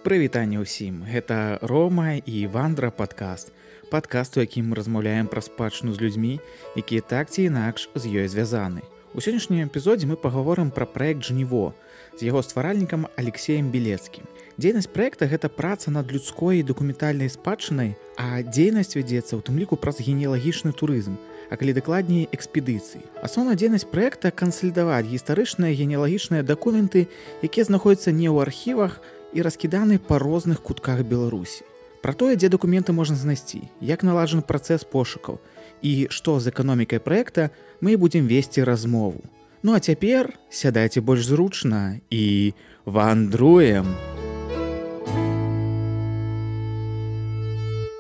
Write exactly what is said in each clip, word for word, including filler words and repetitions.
Прывітанне ўсім, гэта Рома і Вандра падкаст. Падкаст, у якім мы размаўляем пра спадчыну з людзьмі, якія так ці інакш з ёй звязаны. У сённяшнім эпізодзе мы пагаворым пра праект «Жніво» з яго стваральнікам Алексеем Белецкім. Дзейнасць праекта – гэта праца над людской і дакументальнай спадчынай, а дзейнасць вядзецца ў тым ліку праз генеалагічны турызм, а калі дакладней экспедыцыі. Асноўная дзейнасць праекта – кансалідаваць гістарычныя генеалагічныя дакументы, якія знаходзяцца не ў архівах і раскіданы па розных кутках Беларусі. Пра тое, дзе дакументы можна знайсці, як наладжаны працэс пошукаў і што з эканомікай праекта, мы будзем весці размову. Ну а цяпер сядайце больш зручна і вандруем!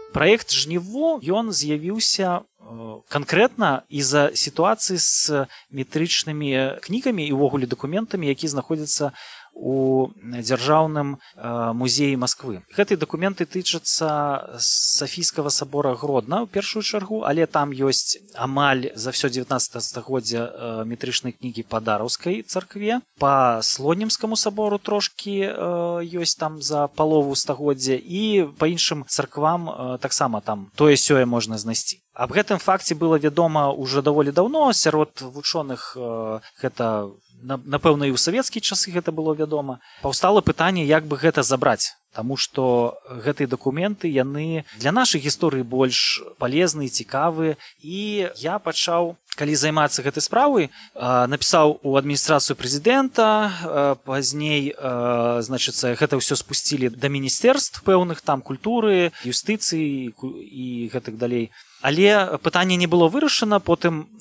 Праект «Жніво» ён з'явіўся канкрэтна з-за сітуацыі з метрычнымі кнігамі і ўвогуле дакументамі, якія знаходзяцца у дзяржаўным музеі Масквы. Гэтыя дакументы тычацца Сафійскага сабора Гродна ў першую чаргу, але там ёсць амаль за ўсё дзевятнаццатае стагоддзя метрычныя кнігі па Дараўскай царкве, па Слонімскаму сабору трошкі ёсць там за палову стагоддзя і па іншым царквам таксама там тое-сёе можна знайсці. Аб гэтым факце было вядома ўжо даволі даўно, сярод вучоных гэта напэўна, і ў савецкія часы гэта было вядома. Паўстала пытанне, як бы гэта забраць, таму што гэтыя дакументы, яны для нашай гісторыі больш палезныя, цікавыя. І я пачаў, калі займацца гэтай справай, напісаў у адміністрацыю прэзідэнта, пазней, значыцца, гэта ўсё спусцілі да міністэрств пэўных, там культуры, юстыцыі і гэтак далей. Але пытанне не было вырашана, потым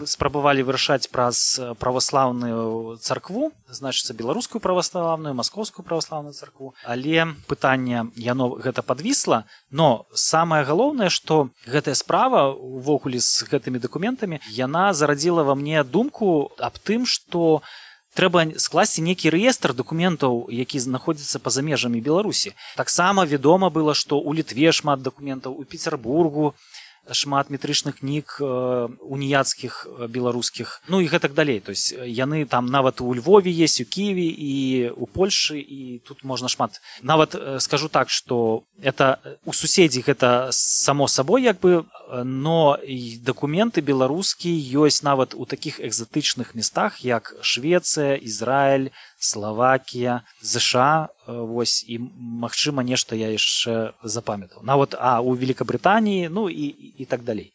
спрабавалі вырашаць праз праваслаўную царкву, значыцца, беларускую праваслаўную, маскоўскую праваслаўную царкву. Але пытанне, яно гэта падвісла, но самае галоўнае, што гэтая справа увогуле з гэтымі дакументамі, яна зарадзіла ва мне думку аб тым, што трэба скласці нейкі рэестр дакументаў, які знаходзяцца па-за межамі Беларусі. Таксама вядома было, што ў Літве шмат дакументаў, у Пецярбургу шмат метрычных кніг уніяцкіх беларускіх, ну і гэтак далей. То есть яны там нават у Львове есть, у Киеве і у Польшы, і тут можна шмат. Нават скажу так, што это у суседзей гэта само сабой як бы, но і дакументы беларускія ёсць нават у такіх экзатычных местах, як Швецыя, Ізраіль, Славакія, ЗША, вось, і, магчыма, нешта я яшчэ запамятаў. Нават, а, у Великабрытаніі, ну, і, і так далей.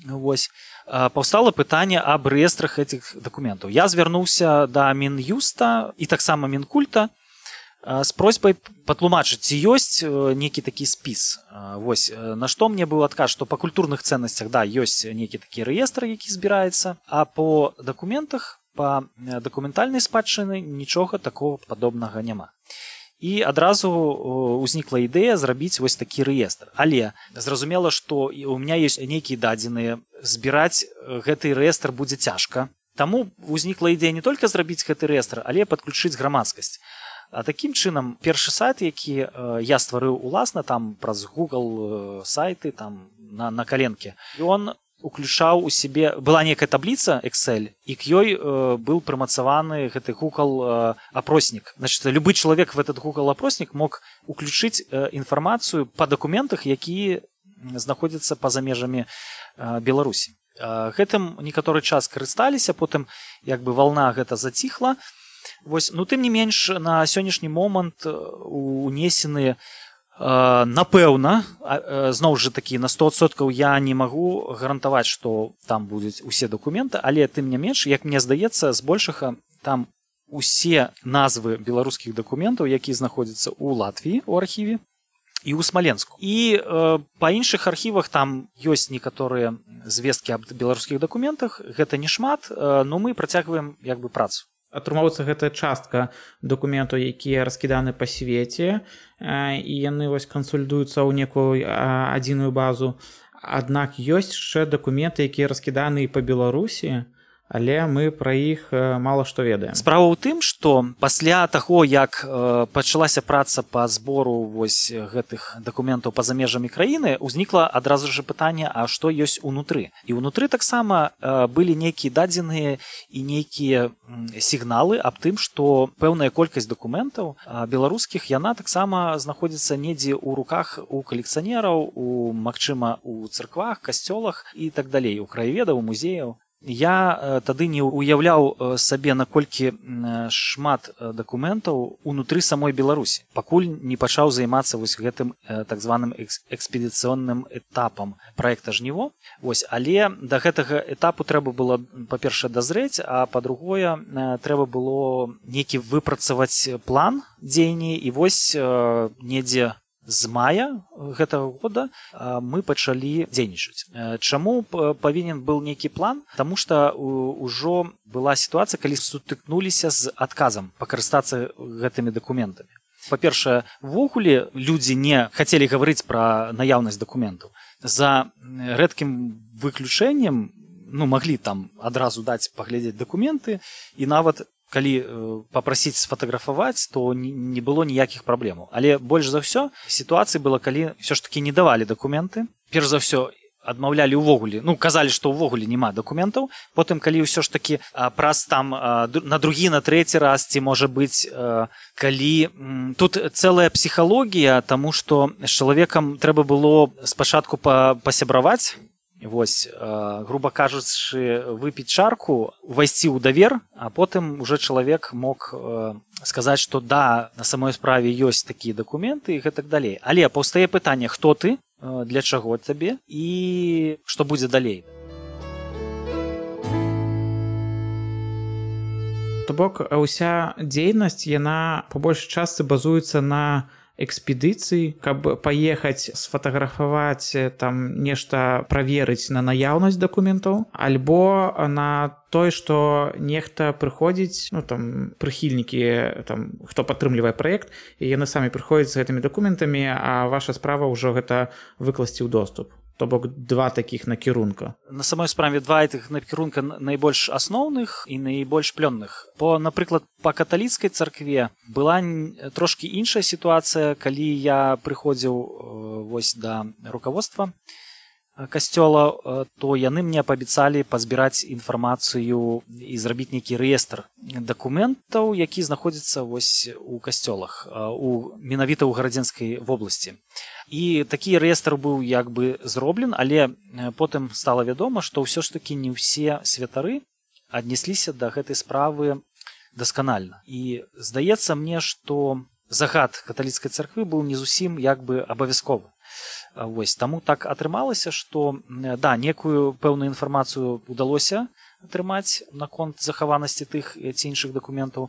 Вось, паўстала пытанне аб рэестрах гэтых дакументаў. Я звярнуўся да Мін'юста і таксама Мінкульта з просьбай патлумачыць, ці ёсць нейкі такі спіс. Вось, на што мне быў адказ, што па культурных цэннасцях, да, ёсць нейкі такі рэестр, які збіраецца, а па дакументах, па дакументальнай спадчыны нічога такого падобнага няма. І адразу ўзнікла ідэя зрабіць вось такі рэестр. Але зразумела, што у меня ёсць нейкія дадзеныя, збіраць гэты рэестр будзе цяжка. Таму ўзнікла ідэя не толькі зрабіць гэты рэестр, але падключыць грамадскасць. А такім чынам, першы сайт, які я стварыў уласна, там праз Google сайты, там на, на каленке, ён уключаў у сябе, была некая табліца Excel, і к ёй э, быў прымацаваны гэты Google э, апроснік. Значит, любы чалавек в этот Google апроснік мог уключыць э, інфармацыю па дакументах, якія знаходзяцца па-за межамі э, Беларусі. Э, гэтым некаторы час карысталіся, потым як бы вална гэта заціхла. Вось, ну тым не менш, на сённяшні момант унесены напэўна, зноў жа такі, на сто адсоткаў я не магу гарантаваць, што там будуць усе дакументы, але тым не менш, як мне здаецца, збольшага там усе назвы беларускіх дакументаў, якія знаходзяцца ў Латвіі, у архіве, і ў Смаленску. І э, па іншых архівах там ёсць некаторыя звесткі аб беларускіх дакументах, гэта не шмат, э, но мы працягваем як бы працу. Атрымоўваецца, гэта частка дакументаў, якія раскіданы па свеце, і яны вось кансалідуюцца ў некую адзіную базу. Аднак ёсць яшчэ дакументы, якія раскіданы і па Беларусі, але мы пра іх мала што ведаем. Справа ў тым, што пасля таго, як э, пачалася праца па збору вось гэтых дакументаў па-за межамі краіны, узнікла адразу ж пытанне, а што ёсць унутры. І ўнутры таксама э, былі нейкія дадзеныя і нейкія сігналы аб тым, што пэўная колькасць дакументаў э, беларускіх, яна таксама знаходзіцца недзе ў руках у калекцыянераў, у, магчыма, у царквах, касцёлах і так далей, у краяведаў, у музеяў. Я э, тады не уяўляў э, сабе, наколькі э, шмат э, дакументаў унутры самой Беларусі, пакуль не пачаў займацца вось гэтым э, так званым экс экспедыцыйным этапам праекта «Жніво». Вось, але да гэтага этапу трэба было, па-першае, дазрэць, а па-другое, э, трэба было нейкі выпрацаваць план дзеяння, і вось э, недзе з мая гэтага года мы пачалі дзейнічаць. Чаму павінен быў нейкі план? Таму што ўжо была сітуацыя, калі сутыкнуліся з адказам пакарыстацца гэтымі дакументамі. Па-першае, увогуле людзі не хацелі гаварыць пра наяўнасць дакументаў. За рэдкім выключэннем, ну, маглі там адразу даць паглядзець дакументы, і нават калі папрасіць сфатаграфаваць, то не было ніякіх праблемаў. Але больш за ўсё сітуацыя была, калі ўсё ж такі не давалі дакументы. Перш за ўсё адмаўлялі ўвогуле, ну, казалі, што ўвогуле няма дакументаў. Потым, калі ўсё ж такі праз там на другі, на трэці раз, ці можа быць, калі тут цэлая псіхалогія, таму што з чалавекам трэба было спачатку пасябраваць, вось, э, груба кажучы, выпіць чарку, увайсці ў давер, а потым уже чалавек мог э, сказаць, што да, на самой справе ёсць такія дакументы і гэтак далей. Але паўстае пытанне, хто ты, э, для чаго табе і што будзе далей. То бок, ўся дзейнасць, яна па большай частцы базуецца на экспедыцыі, каб паехаць сфатаграфаваць, там нешта праверыць на наяўнасць дакументаў, альбо на тое, што нехта прыходзіць, ну там прыхільнікі, там хто падтрымлівае праект, і яны самі прыходзяць з гэтымі дакументамі, а ваша справа ўжо гэта выкласці ў доступ. То бок два такіх накірунка. На самой справе два гэтых накірунка найбольш асноўных і найбольш плённых. По, напрыклад, па каталіцкай царкве была трошкі іншая сітуацыя, калі я прыходзіў вось да руководства касцёла, то яны мне паабяцалі пазбіраць інфармацыю і зрабіць нейкі рэестр дакументаў, які знаходзіцца вось у касцёлах, у менавіта ў гарадзенскай вобласці. І такі рэестр быў як бы зроблен, але потым стала вядома, што ўсё ж такі не ўсе святары аднесліся да гэтай справы дасканальна. І здаецца мне, што загад каталіцкай царквы быў не зусім як бы абавязковы. Вось, таму так атрымалася, што да, некую пэўную інфармацыю удалося атрымаць наконт захаванасці тых ці іншых дакументаў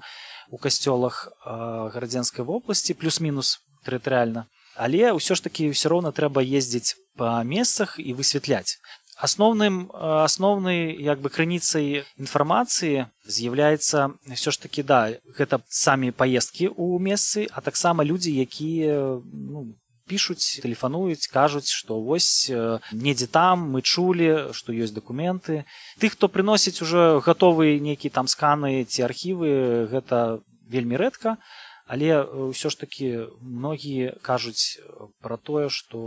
у касцёлах гарадзенскай вобласці, плюс-мінус тэрытарыяльна. Але ўсё ж такі ўсё роўна трэба ездзіць па месцах і высвятляць. Асноўным, асноўнай як бы крыніцай інфармацыі з'яўляецца ўсё ж такі, да, гэта самі паездкі ў месцы, а таксама людзі, якія, ну, пішуць, тэлефануюць, кажуць, што вось недзе там мы чулі, што ёсць дакументы. Тых, хто прыносіць ужо гатовыя нейкія там сканы ці архівы, гэта вельмі рэдка, але ўсё ж такі многія кажуць пра тое, што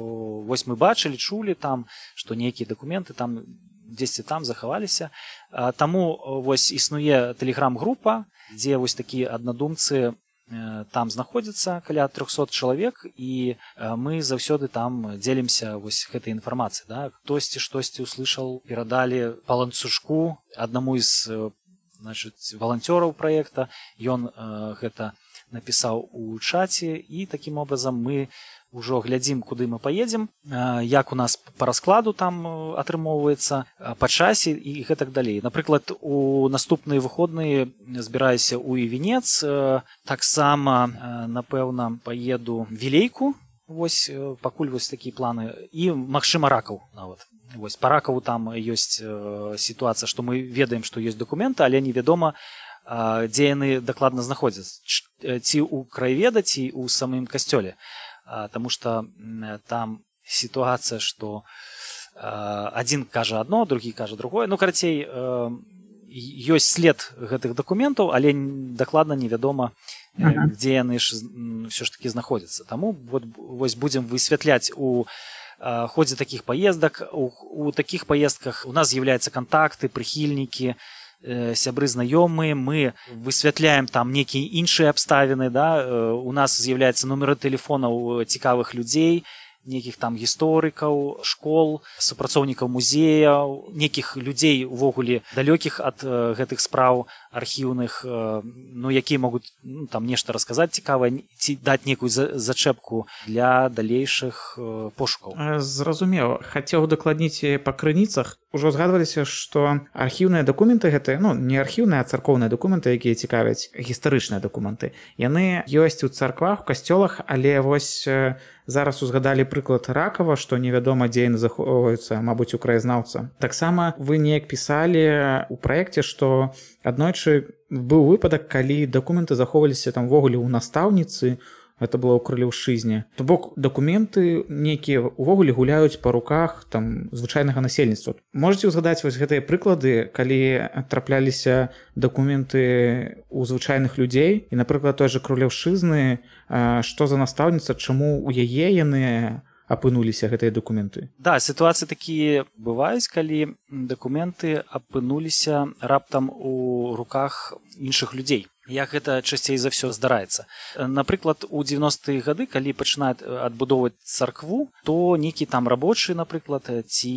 вось мы бачылі, чулі там, што нейкія дакументы там дзесьці там захаваліся. Таму вось існуе тэлеграм-група, дзе вось такія аднадумцы там знаходзіцца каля трохсот чалавек, і мы заўсёды там дзелімся вось гэтай інфармацыяй. Да? Хтосьці штосьці услышаў, перадалі па ланцужку аднаму з, значит, валанцёраў праекта, ён э, гэта напісаў у чаце, і такім образам мы ўжо глядзім, куды мы паедзем, як у нас па раскладу там атрымоўваецца, па часе і гэтак далей. Напрыклад, у наступныя выходныя збіраюся ў Івенец, таксама, напэўна, паеду Вілейку, вось, пакуль вось такія планы, і, магчыма, Ракаў нават. Вось, па Ракаву там ёсць сітуацыя, што мы ведаем, што ёсць дакументы, але невядома, дзе яны дакладна знаходзяцца, ці ў краяведа, ці ў самым касцёле. Таму што там сітуацыя, што адзін кажа адно, другі кажа другое. Ну, карацей, ёсць след гэтых дакументаў, але дакладна невядома, ага. дзе яны ж ўсё ж такі знаходзяцца. Таму вот, вось будзем высвятляць у э, ходзе такіх паездак. У, у такіх паездках у нас з'яўляюцца кантакты, прыхільнікі, э, сябры знаёмыя, мы высвятляем там нейкія іншыя абставіны, да? э, у нас з'яўляюцца нумеры тэлефонаў цікавых людзей, нейкіх там гісторыкаў, школ, супрацоўнікаў музеяў, нейкіх людзей увогуле далёкіх ад э, гэтых спраў архіўных, э, ну, якія могуць ну, там нешта расказаць цікавае, ці даць нейкую за, зачэпку для далейшых э, пошукаў. Зразумеў. Хацеў дакладніць па крыніцах. Ужо згадваліся, што архіўныя дакументы гэтыя, ну, не архіўныя, а царкоўныя дакументы, якія цікавяць, гістарычныя дакументы. Яны ёсць у царквах, у касцёлах, але вось э, зараз узгадалі прыклад Ракава, што невядома, дзе яны захоўваюцца, мабыць, у краязнаўца. Таксама вы неяк пісалі ў праекце, што аднойчы быў выпадак, калі дакументы захоўваліся там ввогуле ў настаўніцы, гэта было ў крылеўшчызне. То бок дакументы нейкія увогуле гуляюць па руках там звычайнага насельніцтва. Можаце ўзгадаць вось гэтыя прыклады, калі трапляліся дакументы ў звычайных людзей і, напрыклад, той жа крылеўшчызны, што за настаўніца, чаму ў яе яны апынуліся гэтыя дакументы? Да, сітуацыі такія бываюць, калі дакументы апынуліся раптам у руках іншых людзей. Як гэта часцей за ўсё здараецца. Напрыклад, у дзевяностыя гады, калі пачынаюць адбудоўваць царкву, то нейкі там рабочы, напрыклад, ці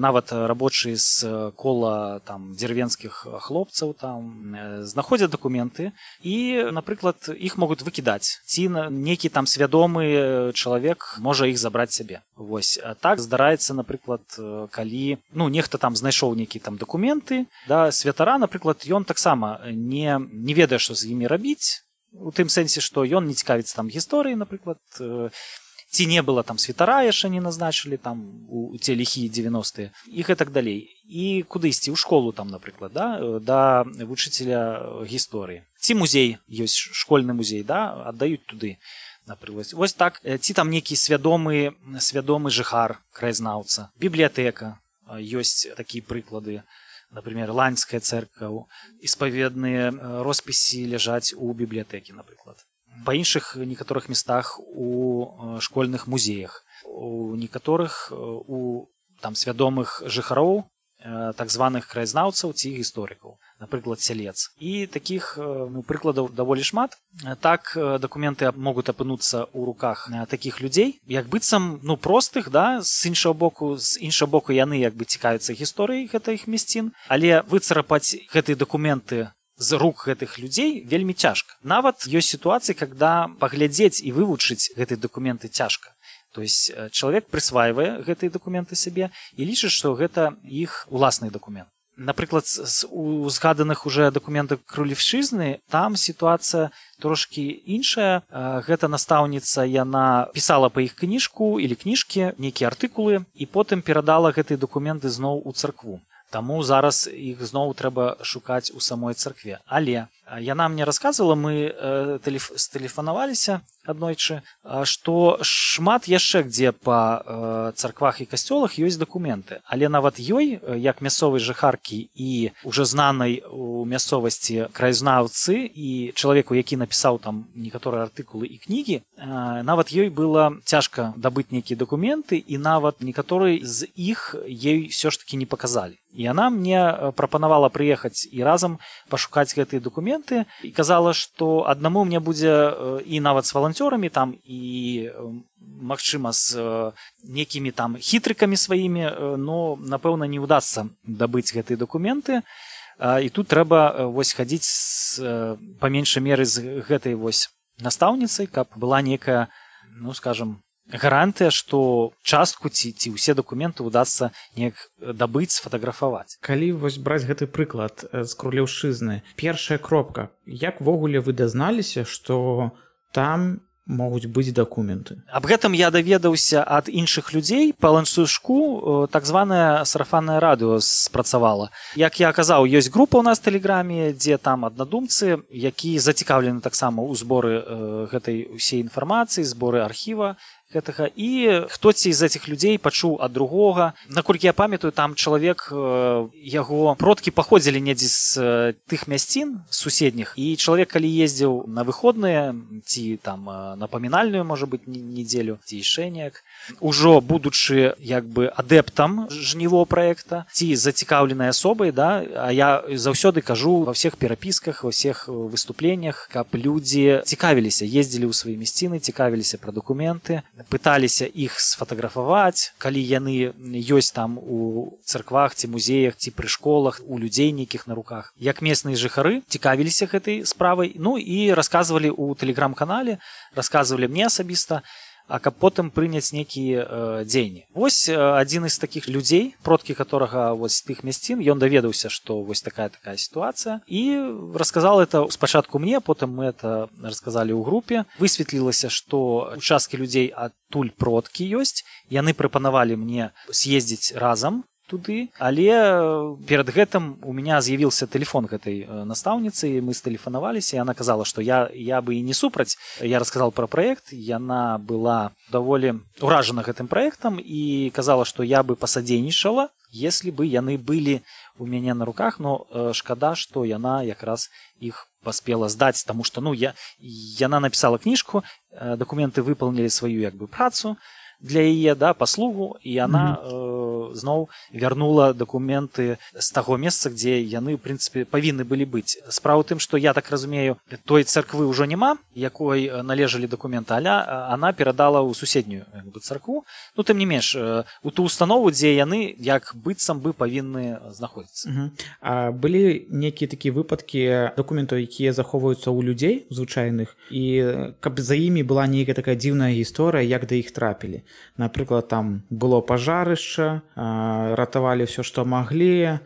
нават рабочы з кола там дзервенскіх хлопцаў там знаходзяць дакументы і, напрыклад, іх могуць выкідаць. Ці нейкі там свядомы чалавек можа іх забраць сябе. Вось. А так здараецца, напрыклад, калі ну, нехта там знайшоў нейкі там дакументы, да, святара, напрыклад, ён таксама не, не ведае, што з імі рабіць, у тым сэнсе, што ён не цікавіцца там гісторыі, напрыклад, ці не было там святара яшчэ не назначылі там у, у те ліхія дзевяностыя і гэтак далей. І куды ісці? У школу там, напрыклад, да, да вучыцеля гісторыі. Ці музей, ёсць школьны музей, да, аддаюць туды. Напрыклад. Вось так, ці там нейкі свядомы, свядомы жыхар, краязнаўца, бібліятэка, ёсць такія прыклады. Например, Ланская церква, исповедные росписи ляжаць у бібліятэкі, напрыклад. Па іншых некаторых местах у школьных музеях, у некаторых у там свядомых жыхароў, так званых краязнаўцаў ці гісторыкаў, напрыклад, сялец. І такіх ну, прыкладаў даволі шмат. Так дакументы могуць апынуцца ў руках такіх людзей, як быццам ну, простых, да, з іншага боку, з іншага боку яны як бы цікавяцца гісторыяй гэтых мясцін, але выцарапаць гэтыя дакументы з рук гэтых людзей вельмі цяжка. Нават ёсць сітуацыі, когда паглядзець і вывучыць гэтыя дакументы цяжка. То есть чалавек прысвайвае гэтыя дакументы сабе і лічыць, што гэта іх уласны дакумент. Напрыклад, у згаданых уже дакументах крылеўшчызны там сітуацыя трошкі іншая. Гэта настаўніца, яна пісала па іх кніжку или кніжкі, нейкія артыкулы і потым перадала гэтыя дакументы зноў у царкву. Таму зараз іх зноў трэба шукаць у самой царкве. Але яна мне расказвала, мы стэлефанаваліся аднойчы, што шмат яшчэ дзе па царквах і касцёлах ёсць дакументы. Але нават ёй, як мясцовай жыхаркі і уже знанай у мясцовасці краязнаўцы і чалавеку, які напісаў там некаторыя артыкулы і кнігі, нават ёй было цяжка дабыць нейкія дакументы і нават некаторыя з іх ёй ўсё ж такі не паказалі. І яна мне прапанавала прыехаць і разам пашукаць гэтыя дакументы і казала, што аднаму мне будзе і нават з валанцёрамі там і магчыма з некімі там хітрыкамі сваімі, но напэўна не ўдасца дабыць гэтыя дакументы. І тут трэба вось хадзіць па меншай меры з гэтай вось настаўніцай, каб была некая, ну скажам, гарантыя, што частку ці, ці ўсе дакументы ўдасца неяк дабыць, сфотаграфаваць. Калі вось браць гэты прыклад з крылеўшчызны, першая кропка, як ввогуле вы дазналіся, што там могуць быць дакументы? Аб гэтым я даведаўся ад іншых людзей. Па ланцужку так званае сарафаннае радыё спрацавала. Як я казаў, ёсць група ў нас в тэлеграме, дзе там аднадумцы, які зацікаўлены таксама ў зборы гэтай усей інфармацыі, зборы архіва гэтага, і хтосьці з этих людзей пачуў ад другога. Наколькі я памятаю, там чалавек, яго продкі паходзілі недзе з тых мясцін суседніх, і чалавек, калі ездзіў на выходныя ці там на памінальную, можа быць, нядзелю ці яшчэ неяк, ужо будучы як бы адэптам жніво праекта ці зацікаўленай асобай, да, а я заўсёды кажу ва ўсіх перапісках, ва ўсіх выступленнях, каб людзі цікавіліся, ездзілі ў свае мясціны, цікавіліся пра дакументы, пыталіся іх сфатаграфаваць, калі яны ёсць там у царквах ці музеях ці пры школах, у людзей нейкіх на руках. Як местныя жыхары цікавіліся гэтай справай, ну і расказвалі ў тэлеграм-канале, расказвалі мне асабіста, а каб потым прыняць нейкія э, дзеянні. Вось э, адзін з такіх людзей, продкі которага вось тых мясцін, ён даведаўся, што вось такая такая сітуацыя, і расказал это спачатку мне, потым мы это расказалі ў групе. Высветлілася, што участкі людзей адтуль продкі ёсць, яны прапанавалі мне з'ездзіць разам туды, але перад гэтым у меня з'явіўся тэлефон гэтай настаўніцы, і мы стэлефанаваліся, і яна казала, што я, я бы і не супраць. Я расказал пра праект, яна была даволі уражана гэтым праектам і казала, што я бы пасадзейнічала, если бы яны былі у мяне на руках, но э, шкада, што яна якраз іх паспела здаць, таму што ну, я, яна напісала кніжку, э, дакументы выпаўнілі сваю як бы працу для яе, да, паслугу, і яна mm-hmm. э, зноў вярнула дакументы з таго месца, дзе яны, ў прынцыпе, павінны былі быць. Справа ў тым, што я так разумею, той царквы ўжо няма, якой належалі дакументы, але она перадала ў суседнюю як бы, царкву. Ну, тым не менш, у ту установу, дзе яны, як быццам бы, павінны знаходзіцца. Mm-hmm. А былі нейкія такія выпадкі дакументаў, якія захоўваюцца ў людзей звычайных, і каб за імі была нейкая такая дзіўная гісторыя, як да іх трапілі. Напрыклад, там было пажарышча, ратавалі ўсё, што маглі,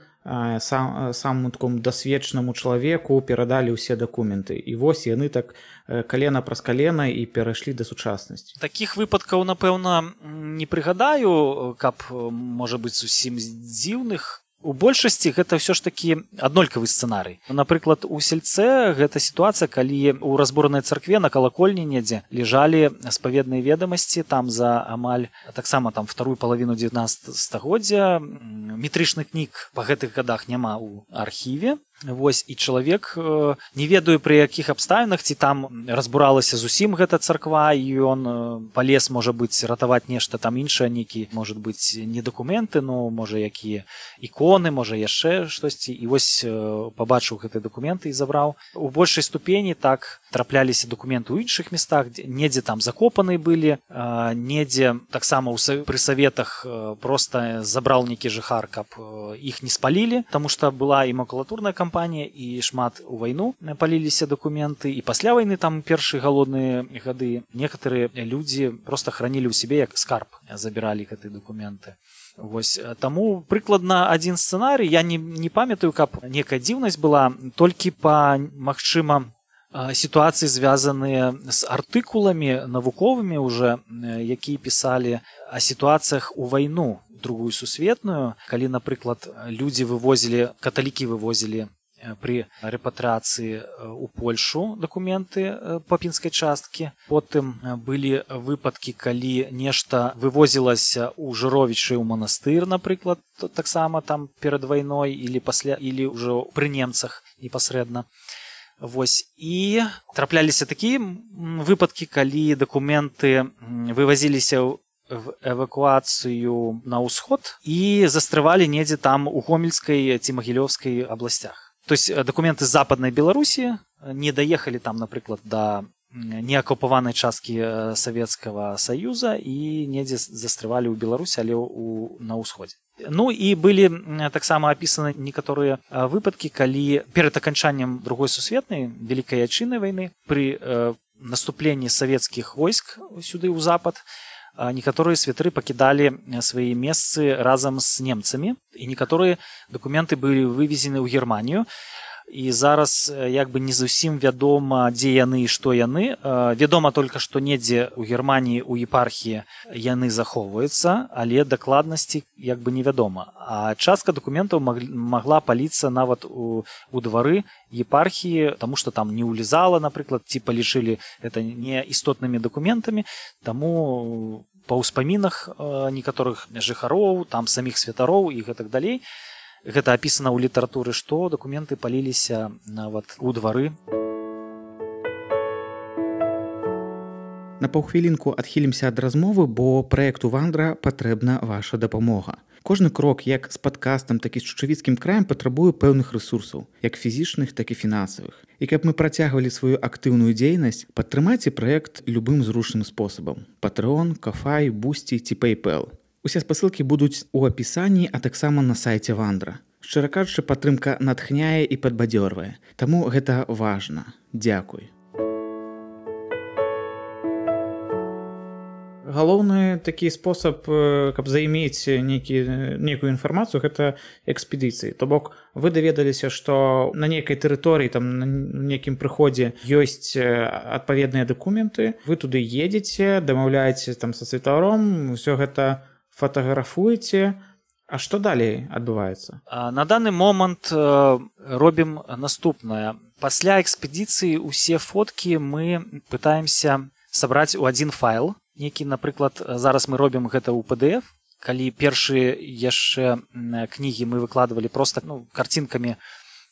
сам, самому такому дасведчанаму чалавеку перадалі ўсе дакументы. І вось яны так калена праз калена і перайшлі да сучаснасці. Такіх выпадкаў, напэўна, не прыгадаю, каб, можа быць, зусім дзіўных. У большасці гэта ўсё ж такі аднолькавы сцэнарый. Напрыклад, у сельце гэта сітуацыя, калі ў разбуранай царкве на калакольні недзе ляжалі спаведныя ведамасці, там за амаль таксама там вторую палавіну дзевятнаццатага стагоддзя. Метрычных кніг па гэтых гадах няма ў архіве. Вось, і чалавек, не ведаю пры якіх абставінах, ці там разбуралася зусім гэта царква, і ён палез, можа быць, ратаваць нешта там іншае, нейкі, можа быць, не дакументы, но, можа, якія іконы, можа, яшчэ штосьці, і вось пабачыў гэтыя дакументы і забраў. У большай ступені так трапляліся дакументы ў іншых местах, недзе там закопаны былі, недзе таксама пры саветах проста забраў нейкі жыхар, каб іх не спалілі, таму што была і макулатурная кампанія, і шмат у вайну паліліся дакументы, і пасля вайны там першыя галодныя гады некаторыя людзі проста хранілі ў сябе як скарб, забіралі гэтыя дакументы. Вось, таму прыкладна адзін сцэнарый, я не, не памятаю, каб некая дзіўнасць была, толькі па, магчыма, сітуацыі звязаныя з артыкуламі навуковымі уже, якія пісалі о сітуацыях у вайну другую сусветную, калі, напрыклад, людзі вывозілі, каталікі вывозілі пры рэпатрыяцыі ў Польшу дакументы па пінскай часткі. Потым былі выпадкі, калі нешта вывозілася ў Жыровічы ў манастыр, напрыклад, таксама там перад вайной или пасля, или ўжо пры немцах непасрэдна. Вось, і трапляліся такія выпадкі, калі дакументы вывозіліся в эвакуацыю на ўсход і застрывалі недзе там у Гомельскай ці Магілёўскай абласцях. То есть документы з западнай Беларусі не даехалі там, напрыклад, да неакупаванай часткі Савецкага Саюза і недзе застрывалі ў Беларусі, але ў, на ўсходзе. Ну і былі таксама апісаны некаторыя выпадкі, калі перад аканчаннем другой сусветнай вялікай айчыннай вайны пры э, наступленні савецкіх войск сюды ў запад некаторыя святары пакідалі свае месцы разам з немцамі, і некаторыя дакументы былі вывезены ў Германію. і зараз як бы не зусім вядома, дзе яны і што яны. Вядома толькі, што недзе ў Германіі ў епархіі яны захоўваюцца, але дакладнасці як бы невядома. А частка дакументаў магла паліцца нават у, у двары епархіі, таму што там не ўлізала, напрыклад, ці палічылі гэта неістотнымі дакументамі, таму па ўспамінах некаторых жыхароў, там саміх святароў і гэтак далей, гэта апісана ў літаратуры, што дакументы паліліся нават у двары. На паўхвілінку адхілімся ад размовы, бо праекту Вандра патрэбна ваша дапамога. Кожны крок як з падкастам, так і з чучавіцкім краем патрабуе пэўных рэсурсаў, як фізічных, так і фінансавых. І каб мы працягвалі сваю актыўную дзейнасць, падтрымайце праект любым зручным спосабам: Patreon, Ko-fi, Boosty ці PayPal. Усе спасылкі будуць у апісанні, а таксама на сайце Вандра. Шчыра кажучы, падтрымка натхняе і падбадзёрвае. Таму гэта важна. Дзякуй. Галоўны такі спосаб, каб займець нейкі, нейкую інфармацыю, гэта экспедыцыі. То бок вы даведаліся, што на нейкай тэрыторыі, там, на нейкім прыходзе ёсць адпаведныя дакументы, вы туды едзеце, дамаўляеце там са святаром, усё гэта фатаграфуеце. А што далей адбываецца? На даны момант робім наступнае. Пасля экспедыцыі ўсе фоткі мы пытаемся сабраць у адзін файл. Некі, напрыклад, зараз мы робім гэта ў пі ді эф. Калі першыя яшчэ кнігі мы выкладвалі проста, ну, карцінкамі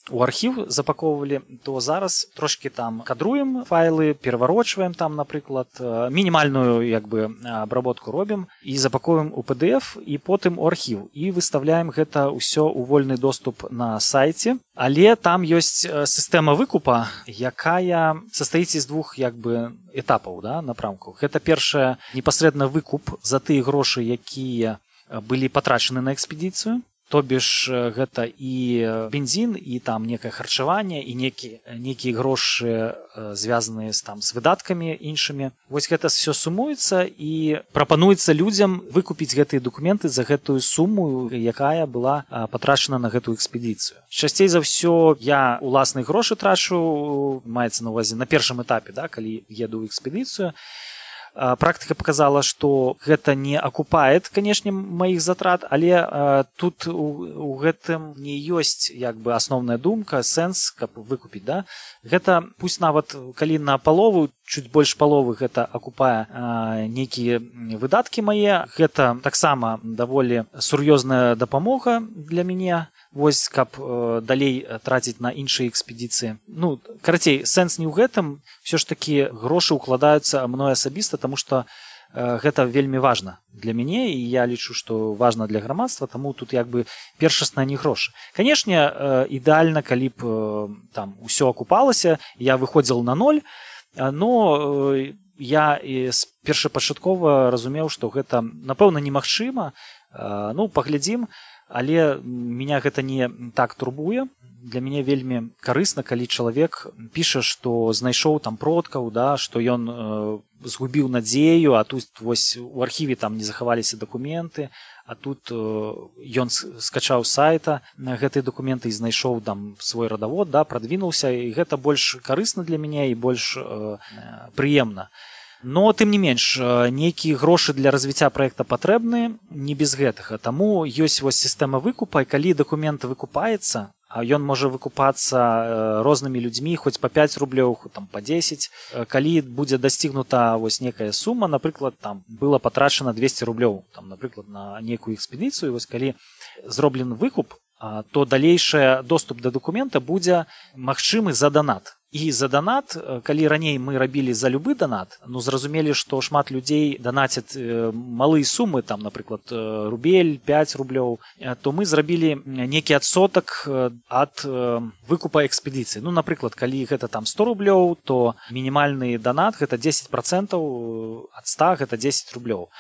у архіў запаковывалі, то зараз трошки там кадруем файлы, пераварочваем там, напрыклад, мінімальную як бы абработку робім і запаковваем у пі ді эф і потым у архіў і выставляем гэта ўсё ў вольны доступ на сайце. Але там ёсць сістэма выкупа, якая састаіць з двух як бы этапаў, да, напрамкаў. Гэта першае непасрэдна выкуп за тыя грошы, якія былі патрачаны на экспедыцыю. То бишь гэта і бензін, і там некае харчаванне, і некія некія грошы звязаныя з там з выдаткамі іншымі. Вось гэта все сумуецца і прапануецца людзям выкупіць гэтыя дакументы за гэтую суму, якая была патрачана на гэтую экспедыцыю. Часцей за ўсё я уласныя грошы трачу, маецца на ўвазе на першым этапе, да, калі еду ў экспедыцыю. Практыка показала, што гэта не акупает, канешне, маіх затрат, але а, тут у, у гэтым не ёсць як бы асноўная думка, сэнс, каб выкупіць, да? Гэта пусть нават калі на палову, чуть больш паловы гэта акупае а, нейкія выдаткі мае, гэта таксама даволі сур'ёзная дапамога для мяне. Вось, каб э, далей траціць на іншыя экспедыцыі. Ну, карацей, сэнс не ў гэтым, все ж такі грошы ўкладаюцца мной асабіста, таму што э, гэта вельмі важна для мяне, і я лічу, што важна для грамадства, таму тут як бы першасна не грошы. Канешне, э, ідэальна, калі б э, там усё акупалася, я выходзіл на ноль, но э, я і першапачаткова разумеў, што гэта, напэўна, немагчыма. Э, ну, паглядзім. Але меня гэта не так турбуе. Для мяне вельмі карысна, калі чалавек піша, што знайшоў там продкаў, да, што ён э, згубіў надзею, а тут вось у архіве там не захаваліся дакументы, а тут э, ён скачаў сайта на гэтыя дакументы і знайшоў там свой радавод, да, прадвінуўся, і гэта больш карысна для мяне і больш э, прыемна. Но, тым не менш, нейкія грошы для развіцця праекта патрэбны не без гэтага. Таму ёсць вось сістэма выкупа, і калі дакумент выкупаецца, а ён можа выкупацца рознымі людзьмі, хоць па пяць рублёў, там па дзесяць. Калі будзе дасцігнута вось некая сума, напрыклад, там было патрачана двесце рублёў, там, напрыклад, на нейкую экспедыцыю, вось калі зроблены выкуп, то далейшы доступ да дакумента будзе магчымы за данат. І за данат, калі раней мы рабілі за любы данат, ну зразумелі, што шмат людзей данацяць малыя сумы, там, напрыклад, рубель, пяць рублёў, то мы зрабілі нейкі адсотак ад выкупа экспедыцыі. Ну, напрыклад, калі гэта там сто рублёў, то мінімальны данат гэта дзесяць працэнтаў ад ста, гэта дзесяць рублёў.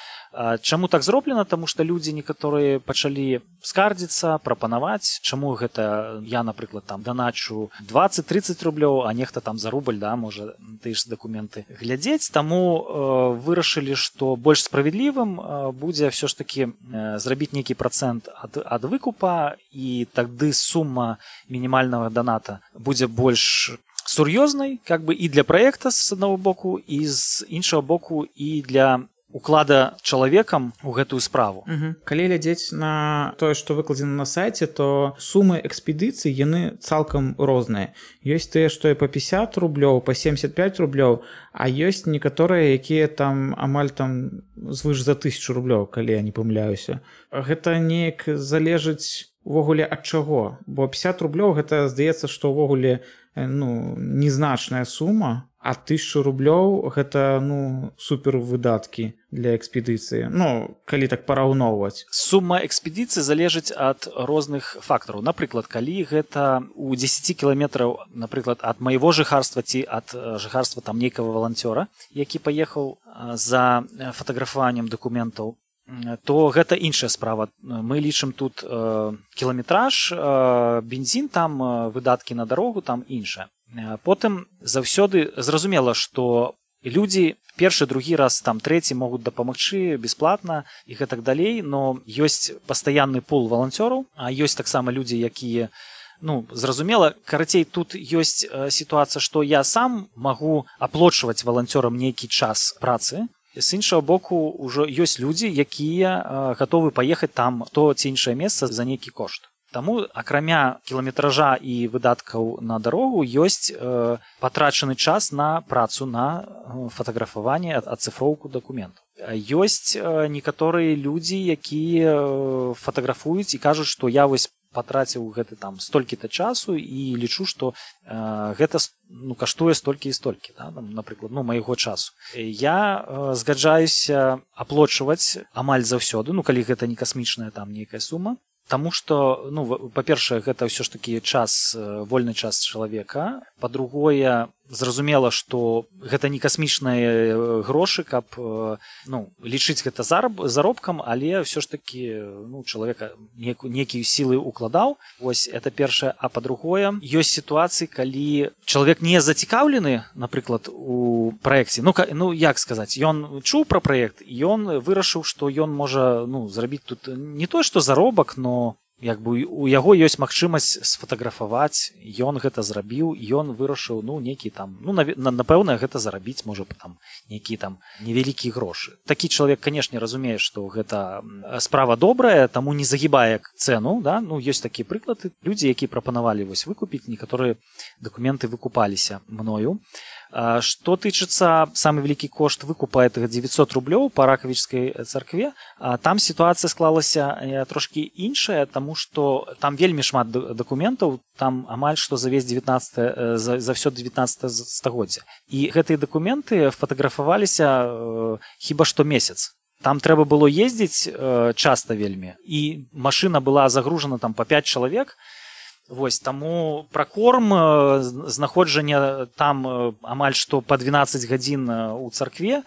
Чаму так зроблена? Таму што людзі некаторыя пачалі скардзіцца, прапанаваць, чаму гэта я, напрыклад, там даначу дваццаць-трыццаць рублёў, а нехта там за рубль, да, можа тыя ж дакументы глядзець, таму э, вырашылі, што больш справядлівым э, будзе ўсё ж такі э, зрабіць нейкі працэнт ад, ад выкупа, і тады сума мінімальнага даната будзе больш сур'ёзнай, как бы і для праекта з аднаго боку, і з іншага боку і для уклада чалавекам у гэтую справу. Угу. Калі глядзець на тое, што выкладзена на сайце, то сумы экспедыцый яны цалкам розныя. Ёсць тыя, што і па пятьдесят рублёў, па семьдесят пять рублёў, а ёсць некаторыя, якія там амаль там звыш за тысячу рублёў, калі я не памыляюся. Гэта неяк залежыць увогуле ад чаго, бо пятьдесят рублёў гэта здаецца, што ўвогуле ну, незначная сума, а тысячу рублёў гэта ну супер выдаткі для экспедыцыі. Ну, калі так параўноўваць. Сума экспедыцыі залежыць ад розных фактараў. Напрыклад, калі гэта у дзесяці кіламетраў, напрыклад, ад майго жыхарства ці ад жыхарства там нейкага валанцёра, які паехаў за фатаграфаваннем дакументаў, то гэта іншая справа. Мы лічым тут э, кіламетраж, э, бензін, там э, выдаткі на дарогу, там іншае. Потым заўсёды зразумела, што людзі першы, другі раз, там трэці могуць дапамагчы бясплатна і гэтак далей, но ёсць пастаянны пул валанцёраў, а ёсць таксама людзі, якія ну, зразумела, карацей, тут ёсць э, сітуацыя, што я сам магу аплочваць валанцёрам нейкі час працы. З іншага боку, ўжо ёсць людзі, якія э, гатовы паехаць там в то ці іншае месца за нейкі кошт. Таму, акрамя кіламетража і выдаткаў на дарогу, ёсць э, патрачаны час на працу, на э, фатаграфаванне, ацыфроўку дакументаў. Ёсць э, некаторыя людзі, якія э, фатаграфуюць і кажуць, што я вось патраціў гэты там столькі-то часу і лічу, што э, гэта ну, каштуе столькі і столькі, да, там, напрыклад, ну, майго часу. Я э, згаджаюся аплочваць амаль заўсёды, ну, калі гэта не касмічная там нейкая сума, таму што, ну, па-першае, гэта ўсё ж такі час, вольны час чалавека, па-другое, зразумела, што гэта не касмічныя грошы, каб ну, лічыць гэта зараб, заробкам, але ўсё ж такі ну, чалавека некія сілы укладаў. Вось это першае. А па-другое, ёсць сітуацыі, калі чалавек не зацікаўлены, напрыклад, у праекце. Ну, ну як сказаць, ён чуў пра праект, ён вырашыў, што ён можа ну, зрабіць тут не тое, што заробак, но як бы у яго ёсць магчымасць сфатаграфаваць, ён гэта зрабіў, ён вырашыў ну нейкі там ну напэўна гэта зарабіць можа там нейкі там невялікія грошы. Такі чалавек, канешне, разумее, што гэта справа добрая, таму не загібае цэну, да? Ну ёсць такія прыклады, людзі, якія прапанавалі вось выкупіць, некаторыя дакументы выкупаліся мною. Што тычыцца самы вялікі кошт выкупа гэтага дзевяцьсот рублёў па ракавічскай царкве, там сітуацыя склалася трошкі іншая, таму што там вельмі шмат дакументаў, там амаль што за весь дзевятнаццатае за, за ўсё дзевятнаццатае стагоддзя. І гэтыя дакументы фатаграфаваліся э, хіба што месяц. Там трэба было ездзіць э, часта вельмі, і машына была загружана там па пяць чалавек. Вось, таму пракорм, знаходжанне там амаль што па дванаццаць гадзін у царкве,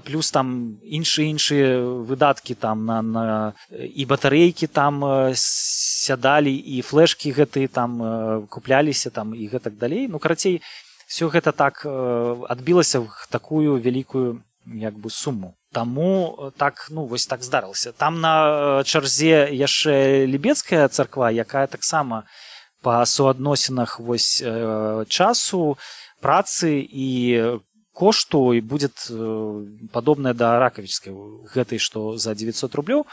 плюс там іншыя іншыя выдаткі там на, на і батарэйкі там сядалі, і флешкі гэтыя там купляліся там і гэтак далей. Ну, карацей, все гэта так адбілася в такую вялікую як бы суму. Таму так, ну, вось так здарылася. Там на чарзе яшчэ лібецкая царква, якая таксама па суадносінах вось часу, працы і кошту і будзе падобная да ракавічскай, гэтай, што за дзевяцьсот рублёў.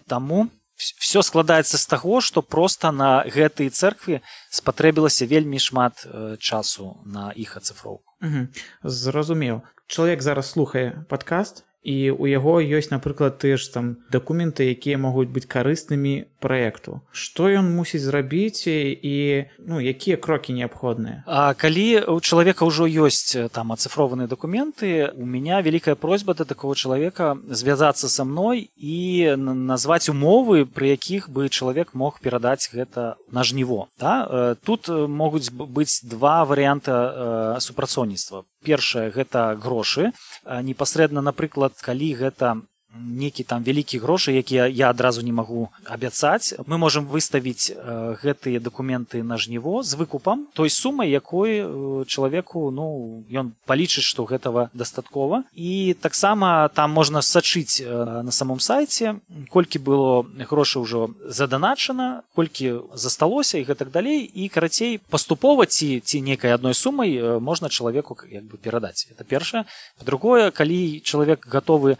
Таму все складаецца з таго, што проста на гэтай цэркве спатрэбілася вельмі шмат часу на іх ацыфроўку. Угу. Зразумеў. Чалавек зараз слухае падкаст, і у яго ёсць, напрыклад, тыя ж там дакументы, якія могуць быць карыснымі праекту. Што ён мусіць зрабіць і ну, якія крокі неабходныя? А калі у чалавека ўжо ёсць там ацыфрованыя дакументы, у меня вялікая просьба да такого чалавека звязацца са мной і назваць умовы, пры якіх бы чалавек мог перадаць гэта на жніво. Да? Тут могуць быць два варыянта супрацоўніцтва. Першае, гэта грошы. Непасрэдна, напрыклад, калі гэта нейкі там вялікі грошы, якія я адразу не магу абяцаць, мы можам выставіць гэтыя дакументы на жніво з выкупам той сумай, якой чалавеку, ну, ён палічыць, што гэтага дастаткова. І таксама там можна сачыць на самом сайце, колькі было грошай ўжо заданачана, колькі засталося і гэтак далей, і карацей паступова ці ці нейкай адной сумай можна чалавеку як бы перадаць. Это першае. Па-другое, калі чалавек гатовы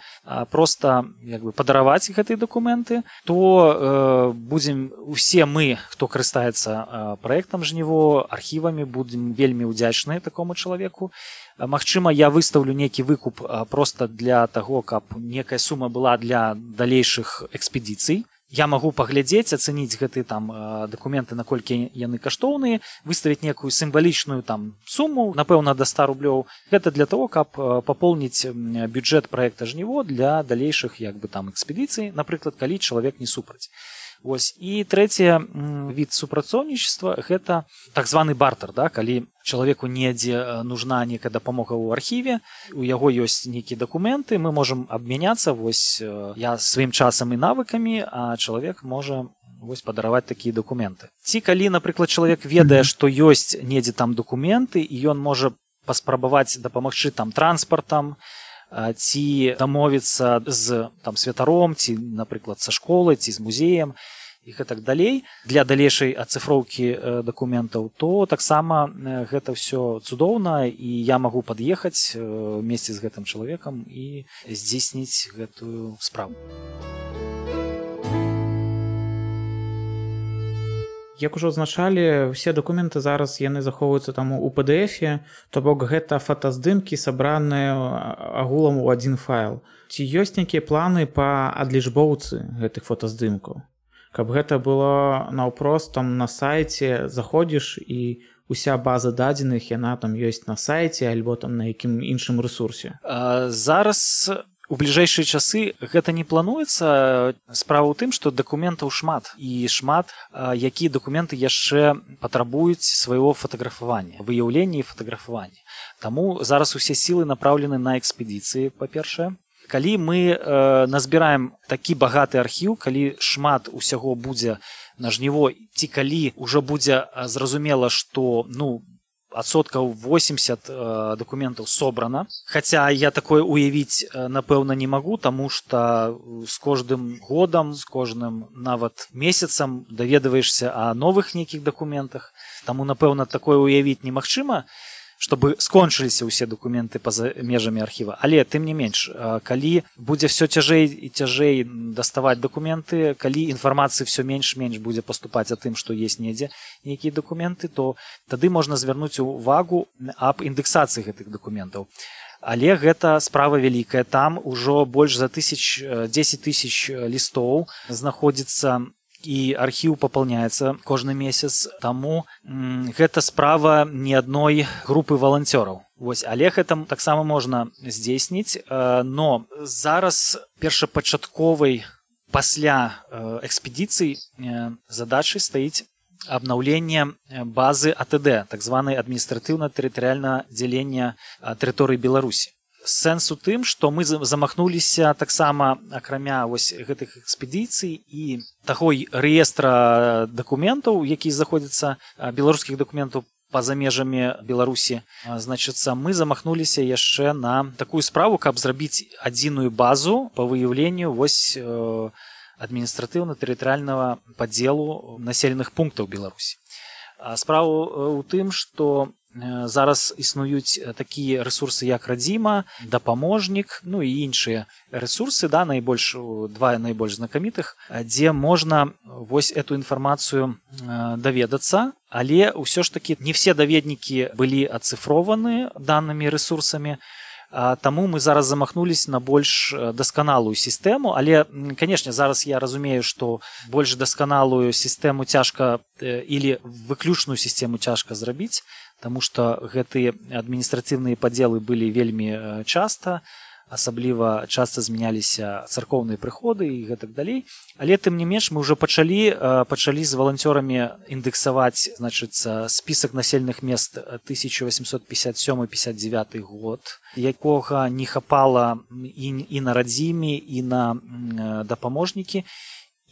проста як бы падараваць гэтыя дакументы, то э, будзем усе мы, хто карыстаецца э, праектам жніво, архівамі, будзем вельмі ўдзячныя такому чалавеку. Магчыма, я выстаўлю нейкі выкуп э, проста для таго, каб некая сума была для далейшых экспедыцый. Я магу паглядзець, ацэніць гэтыя там дакументы, наколькі яны каштоўныя, выставіць некую сімвалічную там суму, напэўна, да ста рублёў. Гэта для того, каб папоўніць бюджэт праекта жніво для далейшых як бы там экспедыцый, напрыклад, калі чалавек не супраць. Вось. І трэцяе від супрацоўнічества – гэта так званы бартер, да? Калі чалавеку недзе нужна нейкая дапамога ў архіве, у яго ёсць нейкія дакументы, мы можам абмяняцца, вось я сваім часам і навыкамі, а чалавек можа вось падараваць такія дакументы. Ці калі, напрыклад, чалавек ведае, што ёсць недзе там дакументы, і ён можа паспрабаваць дапамагчы там транспартам, ці дамовіцца з там святаром, ці, напрыклад, са школай, ці з музеем і гэтак далей для далейшай ацыфроўкі дакументаў, то таксама гэта ўсё цудоўна, і я магу пад'ехаць вместе з гэтым чалавекам і здзейсніць гэтую справу. Як ужо азначалі, усе дакументы зараз яны захоўваюцца там у пі ді эфе, то бок гэта фотаздымкі, сабраныя агулам у адзін файл. Ці ёсць нейкія планы па адлічбоўцы гэтых фотаздымкаў? Каб гэта было наўпрост там на сайце, заходзіш і уся база дадзеных, яна там ёсць на сайце альбо там на якім іншым рэсурсе. А, зараз у бліжэйшыя часы гэта не плануецца. Справа ў тым, што дакументаў шмат, і шмат, якія дакументы яшчэ патрабуюць свайго фатаграфавання, выяўлення і фатаграфавання. Таму зараз усе сілы напраўлены на экспедыцыі, па-першае. Калі мы э, назбіраем такі багаты архіў, калі шмат усяго будзе на жніво, ці калі ўжо будзе зразумела, што, ну, адсоткаў восемьдесят э, дакументаў собрана. Хаця я такое уявіць, э, напэўна, не магу, таму што з кожным годам, з кожным нават месяцам даведваешся о новых нейкіх дакументах. Таму, напэўна, такое уявіць немагчыма, чтобы скончыліся ўсе дакументы па-за межамі архіва. Але, тым не менш, калі будзе все цяжэй і цяжэй даставаць дакументы, калі інфармацыі все менш-менш будзе паступаць о тым, што есть недзе нейкія дакументы, то тады можна звярнуць увагу аб індэксацыі гэтых дакументаў. Але гэта справа вялікая. Там ужо больш за тысяч, дзесяць тысяч лістоў знаходзіцца, і архіў папаўняецца кожны месяц, таму м, гэта справа не адной групы валанцёраў. Вось, але гэта таксама можна здзейсніць, э, но зараз першапачатковай пасля э, экспедыцый э, задачай стаіць абнаўленне базы а тэ дэ, так званай адміністратыўна-тэрытарыяльнае дзялення тэрыторыі Беларусі. Сэнс у тым, што мы замахнуліся таксама, акрамя вось гэтых экспедыцый і таго рэестра дакументаў, які знаходзяцца, беларускіх дакументаў па-за межамі Беларусі. Значыцца, мы замахнуліся яшчэ на такую справу, каб зрабіць адзіную базу па выяўленню вось адміністратыўна-тэрытарыяльнага падзелу населеных пунктаў Беларусі. Справа ў тым, што зараз існуюць такія рэсурсы, як Радзіма, Дапаможнік, ну і іншыя рэсурсы, да, найбольш, два найбольш знакамітых, дзе можна вось эту інфармацыю даведацца, але ўсё ж такі не все даведнікі былі ацыфрованы данымі рэсурсамі, таму мы зараз замахнулись на больш дасканалую сістэму, але, канешне, зараз я разумею, што больш дасканалую сістэму цяжка или выключную сістэму цяжка зрабіць, таму што гэтыя адміністрацыйныя падзелы былі вельмі часта, асабліва часта змяняліся царкоўныя прыходы і гэтак далей. Але тым не менш мы ўжо пачалі пачалі з валанцёрамі індэксаваць, значыцца, спісак населеных мест тысяча восемьсот пятьдесят седьмой — пятьдесят девятый год, якога не хапала і, і на радзіме, і на дапаможнікі.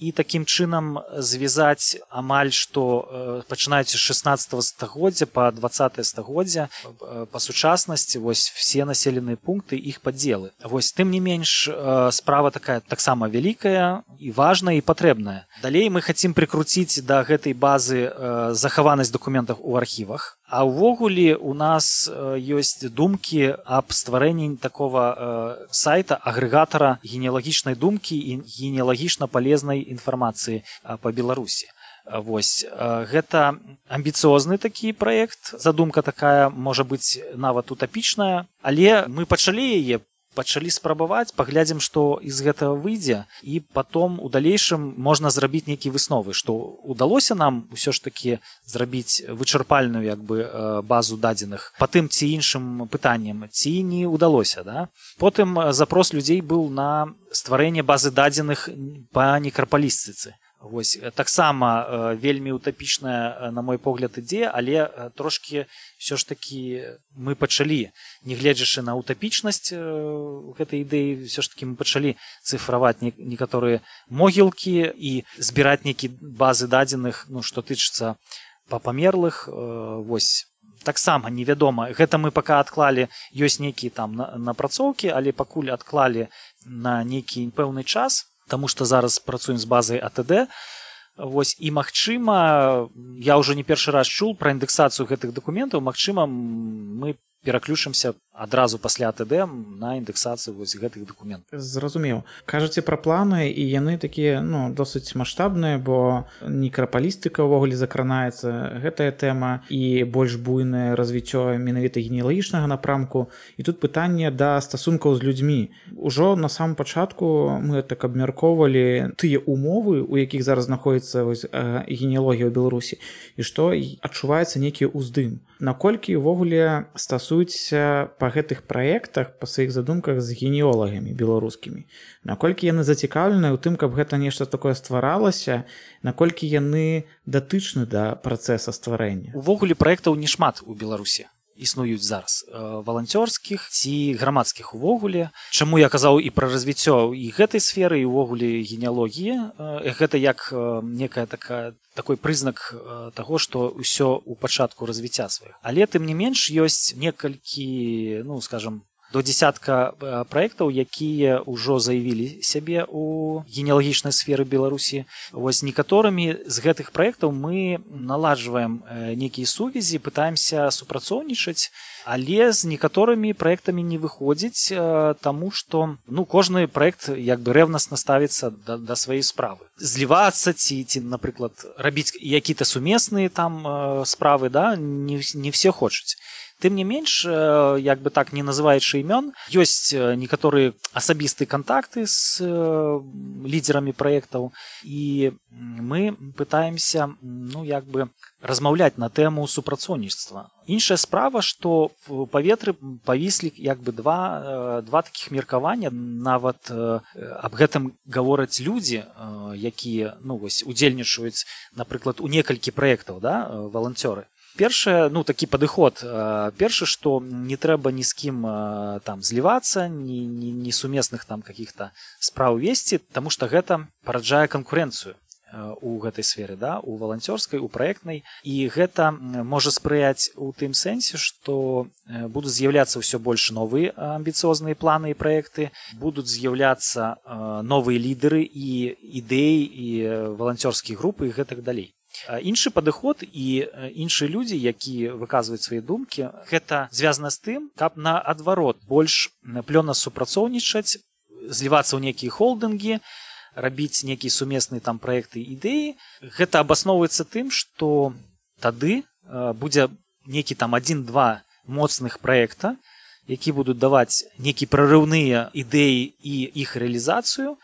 І такім чынам звязаць амаль што пачынаюць з шаснаццатага стагоддзя па дваццатае стагоддзя па сучаснасці вось все населеныя пункты, іх падзелы. Вось тым не менш справа такая таксама вялікая і важная і патрэбная. Далей мы хацім прыкруціць да гэтай базы захаванасць дакументаў у архівах. А ўвогуле у нас ёсць думкі аб стварэнні такога сайта, агрэгатара генеалагічнай думкі і генеалагічна палезнай інфармацыі па Беларусі. Вось гэта амбіцыозны такі праект. Задумка такая можа быць нават утапічная, але мы пачалі яе, пачалі спрабаваць, паглядзім, што з гэтага выйдзе, і потом у далейшым можна зрабіць нейкія высновы, што удалося нам усё ж такі зрабіць вычарпальную як бы базу дадзеных па тым ці іншым пытанням, ці не удалося, да? Потым запрос людзей быў на стварэнне базы дадзеных па некрапалістыцы. Вось таксама вельмі утапічная, на мой погляд, ідзея, але трошкі ўсё ж такі мы пачалі, нягледзячы на утапічнасць гэтай ідэі, ўсё ж такі мы пачалі цыфраваць некаторыя могілкі і збіраць нейкія базы дадзеных, ну, што тычыцца па памерлых. Вось таксама невядома. Гэта мы пака адклалі, ёсць нейкія там напрацоўкі, але пакуль адклалі на нейкі пэўны час, таму што зараз працуем з базай а тэ дэ. Вось, і магчыма, я ўжо не першы раз чуў пра індэксацыю гэтых дакументаў, магчыма, мы пераключымся адразу пасля а тэ дэ на індэксацыю вось гэтых дакументаў. Зразумеў. Кажаце пра планы, і яны такія, ну, досыць маштабныя, бо некрапалістыка ўвогуле закранаецца, гэтая тэма, і больш буйнае развіццё менавіта генеалагічнага напрамку. І тут пытанне да стасункаў з людзьмі. Ужо на самым пачатку мы так абмяркоўвалі тыя умовы, у якіх зараз знаходзіцца вось генеалогія ў Беларусі, і што адчуваецца нейкі ўздым. Наколькі ўвогуле стасуюцца па гэтых праектах, па сваіх задумках з генеолагамі беларускімі? Наколькі яны зацікаўлены ў тым, каб гэта нешта такое стваралася, наколькі яны датычны да працэса стварэння? Увогуле праектаў не шмат у Беларусі існуюць зараз, валанцёрскіх ці грамадскіх увогуле. Чаму я казаў і пра развіццё і гэтай сферы, і увогуле генеалогіі. Гэта як некая такая такой прызнак таго, што ўсё ў пачатку развіцця сваіх. Але тым не менш ёсць некалькі, ну, скажам, до дзесятка праектаў, якія ўжо заявілі сябе ў генеалагічнай сферы Беларусі. Вось некаторымі з гэтых праектаў мы наладжваем нейкія сувязі, пытаемся супрацоўнічаць, але з некаторымі праектамі не выходзіць, таму што, ну, кожны праект як бы рэвнасна ставіцца да, да сваёй справы. Злівацца ці, ці, напрыклад, рабіць якія-то сумесныя там справы, да, не, не все хочуць. Тым не менш, як бы так не называючы імён, ёсць некаторыя асабістыя кантакты з лідерамі праектаў, і мы пытаемся, ну, як бы размаўляць на тэму супрацоўніцтва. Іншая справа, што в паветры павіслі як бы два, два такіх меркавання, нават аб гэтым гавораць людзі, якія, ну, вось, удзельнічаюць, напрыклад, у некалькі праектаў, да, валанцёры. Першае, ну, такі падыход. Першы, што не трэба ні з кім там злівацца, ні, ні, ні сумесных там каких-то спраў весці, таму што гэта параджае канкурэнцыю у гэтай сферы, да, у валанцёрскай, у праектнай. І гэта можа спрыяць у тым сэнсе, што будуць з'яўляцца ўсё больш новыя амбіцыозныя планы і праекты, будуць з'яўляцца новыя лідары і ідэі, і валанцёрскія групы і гэтак далей. Іншы падыход і іншыя людзі, якія выказваюць свае думкі, гэта звязана з тым, каб наадварот больш плённа супрацоўнічаць, злівацца ў нейкія холдынгі, рабіць нейкія сумесныя там праекты і ідэі. Гэта абасноўваецца тым, што тады будзе нейкі там адзін-два моцных праекта, які будуць даваць нейкія прарыўныя ідэі і іх рэалізацыю.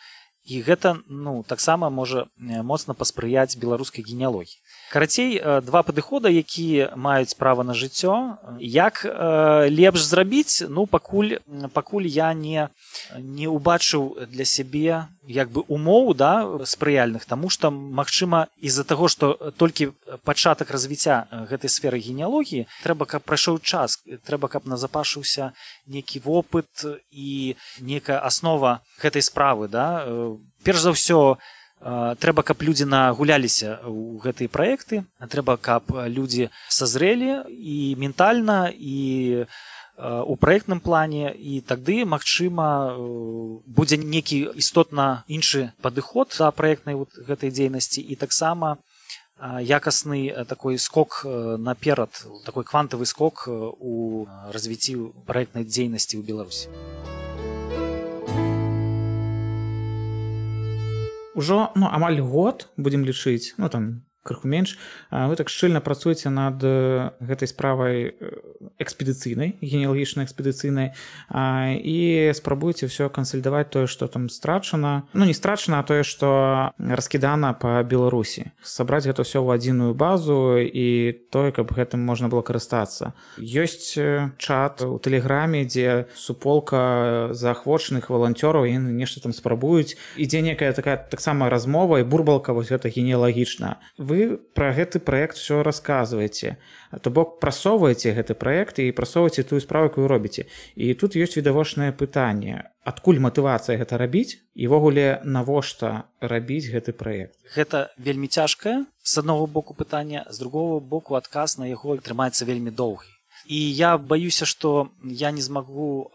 І гэта, ну, таксама можа моцна паспрыяць беларускай генеалогіі. Карацей, два падыхода, якія маюць права на жыццё. Як э, лепш зрабіць, ну пакуль пакуль я не не убачыў для сябе як бы умоў, да, спрыяльных, таму што магчыма з-за таго, што толькі пачатак развіцця гэтай сферы генеалогіі, трэба, каб прайшоў час, трэба, каб назапашыўся нейкі вопыт і некая аснова гэтай справы, да. Перш за ўсё, трэба, каб людзі нагуляліся ў гэтыя праекты, трэба, каб людзі сазрэлі і ментальна, і у праектным плане, і тады, магчыма, будзе нейкі істотна іншы падыход да праектнай вот гэтай дзейнасці, і таксама якасны такой скок наперад, такой квантавы скок у развіцці праектнай дзейнасці ў Беларусі. Ужо, ну, амаль год, будзем лічыць, ну, там, крыху менш, вы так шчыльна працуеце над гэтай справай экспедыцыйнай, генеалагічнай экспедыцыйнай, і спрабуеце ўсё кансалідаваць тое, што там страчана, ну, не страчана, а тое, што раскідана па Беларусі. Сабраць гэта ўсё ў адзіную базу і тое, каб гэтым можна было карыстацца. Ёсць чат у Тэлеграме, дзе суполка заахвочаных валанцёраў, яны нешта там спрабуюць, ідзе некая такая таксама размова і бурбалка вось гэта генеалагічна. Вы пра гэты праект все расказваеце, то бок прасоўваеце гэты праект і прасоўваеце тую справу, якую робіце. І тут ёсць відавочнае пытанне: адкуль матывацыя гэта рабіць і ўвогуле навошта рабіць гэты праект? Гэта вельмі цяжкае з аднаго боку пытання, з другого боку адказ на яго трымаецца вельмі доўгі. І я баюся, што я не змагу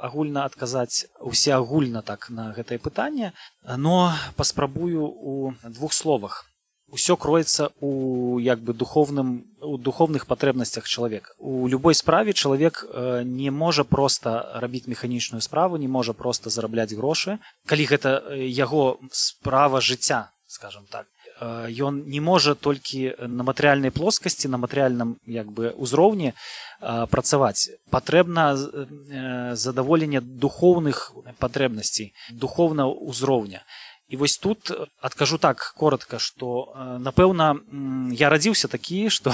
агульна адказаць усеагульна так на гэтае пытанне, но паспрабую у двух словах. Усё кроецца у як бы духовным у духовных патрэбнасцях чалавека. У любой справе чалавек не можа проста рабіць механічную справу, не можа проста зарабляць грошы. Калі гэта яго справа жыцця, скажем так, ён не можа толькі на матэрыяльнай плоскасці, на матэрыяльным як бы узроўні працаваць. Патрэбна задаволенне духоўных патрэбнасцей, духоўнага ўзроўня. І вось тут адкажу так коротка, што, напэўна, я радзіўся такі, што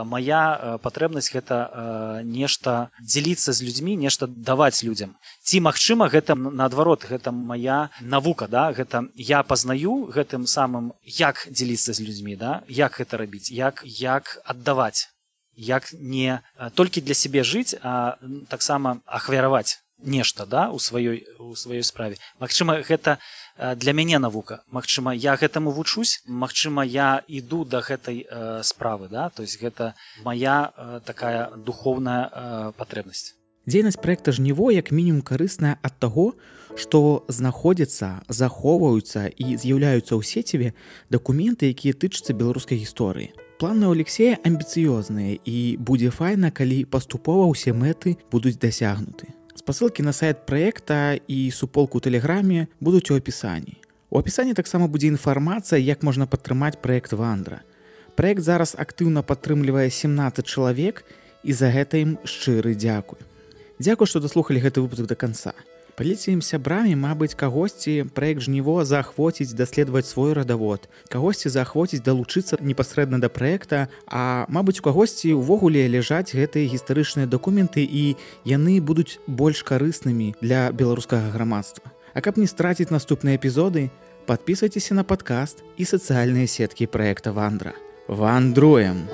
мая патрэбнасць гэта нешта дзеліцца з людзьмі, нешта даваць людзям. Ці, магчыма, гэта наадварот, гэта мая навука, да? Гэта я пазнаю гэтым самым, як дзеліцца з людзьмі, да? Як гэта рабіць, як, як аддаваць, як не толькі для сябе жыць, а таксама ахвяраваць нешта, да? у сваёй, у сваёй справе. Магчыма, гэта для мяне навука. Магчыма, я гэтаму вучусь, магчыма, я іду да гэтай э, справы, да? То есть гэта моя э, такая духовная э, патрэбнасць. Дзейнасць праекта «Жніво» як мінімум карысная ад таго, што знаходзяцца, захоўваюцца і з'яўляюцца ў сеціве дакументы, якія тычацца беларускай гісторыі. Планы ў Алексея амбіцыёзныя, і будзе файна, калі паступова ўсе мэты будуць дасягнуты. Спасылкі на сайт праекта і суполку ў Тэлеграме будуць у апісанні. У апісанні таксама будзе інфармацыя, як можна падтрымаць праект «Вандра». Праект зараз актыўна падтрымлівае сямнаццаць чалавек, і за гэта ім шчыры дзякуй. Дзякуй, што даслухалі гэты выпуск да канца. Паліце ім сябрамі, мабыць, кагосьці праект «Жніво» заахвоціць даследаваць свой радавод, кагосьці заахвоціць далучыцца непасрэдна да праекта, а, мабыць, у кагосьці ўвогуле ляжаць гэтыя гістарычныя дакументы, і яны будуць больш карыснымі для беларускага грамадства. А каб не страціць наступныя эпізоды, падпісвайцеся на падкаст і сацыяльныя сеткі праекта «Вандра». Вандруем!